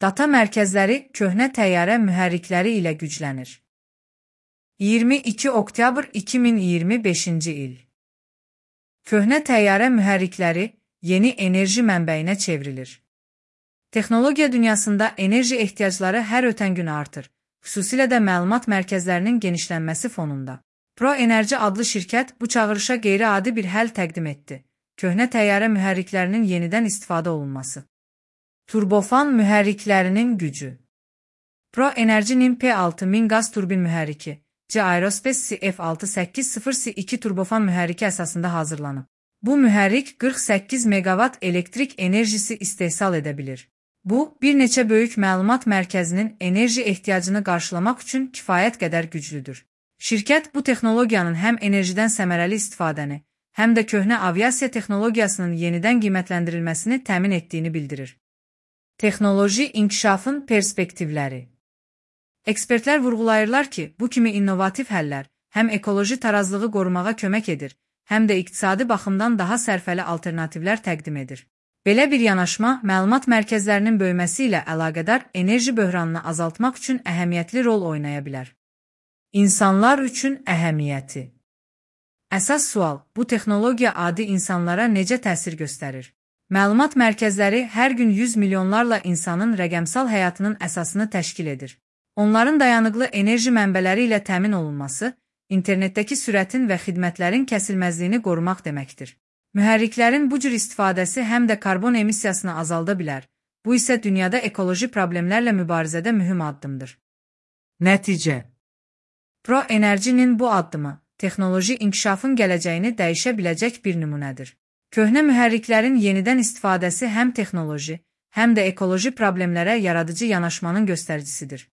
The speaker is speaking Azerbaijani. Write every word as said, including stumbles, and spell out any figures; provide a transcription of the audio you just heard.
Data mərkəzləri köhnə təyyarə mühərrikləri ilə güclənir. iyirmi iki oktyabr iki min iyirmi beşinci il. Köhnə təyyarə mühərrikləri yeni enerji mənbəyinə çevrilir. Texnologiya dünyasında enerji ehtiyacları hər ötən gün artır, xüsusilə də məlumat mərkəzlərinin genişlənməsi fonunda. ProEnerji adlı şirkət bu çağırışa qeyri-adi bir həll təqdim etdi. Köhnə təyyarə mühərriklərinin yenidən istifadə olunması. Turbofan mühərriklərinin gücü. ProEnerji'nin P altı min qaz turbin mühərriki, C Aerospace F altı səkkiz sıfır S iki turbofan mühərriki əsasında hazırlanıb. Bu mühərrik qırx səkkiz meqavat elektrik enerjisi istehsal edə bilir. Bu, bir neçə böyük məlumat mərkəzinin enerji ehtiyacını qarşılamaq üçün kifayət qədər güclüdür. Şirkət bu texnologiyanın həm enerjidən səmərəli istifadəni, həm də köhnə aviasiya texnologiyasının yenidən qiymətləndirilməsini təmin etdiyini bildirir. Texnoloji inkişafın perspektivləri. Ekspertlər vurğulayırlar ki, bu kimi innovativ həllər həm ekoloji tarazlığı qorumağa kömək edir, həm də iqtisadi baxımdan daha sərfəli alternativlər təqdim edir. Belə bir yanaşma, məlumat mərkəzlərinin böyüməsi ilə əlaqədar enerji böhranını azaltmaq üçün əhəmiyyətli rol oynaya bilər. İnsanlar üçün əhəmiyyəti. Əsas sual, bu texnologiya adi insanlara necə təsir göstərir? Məlumat mərkəzləri hər gün yüz milyonlarla insanın rəqəmsal həyatının əsasını təşkil edir. Onların dayanıqlı enerji mənbələri ilə təmin olunması, internetdəki sürətin və xidmətlərin kəsilməzliyini qorumaq deməkdir. Mühərriklərin bu cür istifadəsi həm də karbon emissiyasını azalda bilər. Bu isə dünyada ekoloji problemlərlə mübarizədə mühüm addımdır. Nəticə. ProEnerji'nin bu addımı, texnoloji inkişafın gələcəyini dəyişə biləcək bir nümunədir. Köhnə mühərriklərin yenidən istifadəsi həm texnoloji, həm də ekoloji problemlərə yaradıcı yanaşmanın göstəricisidir.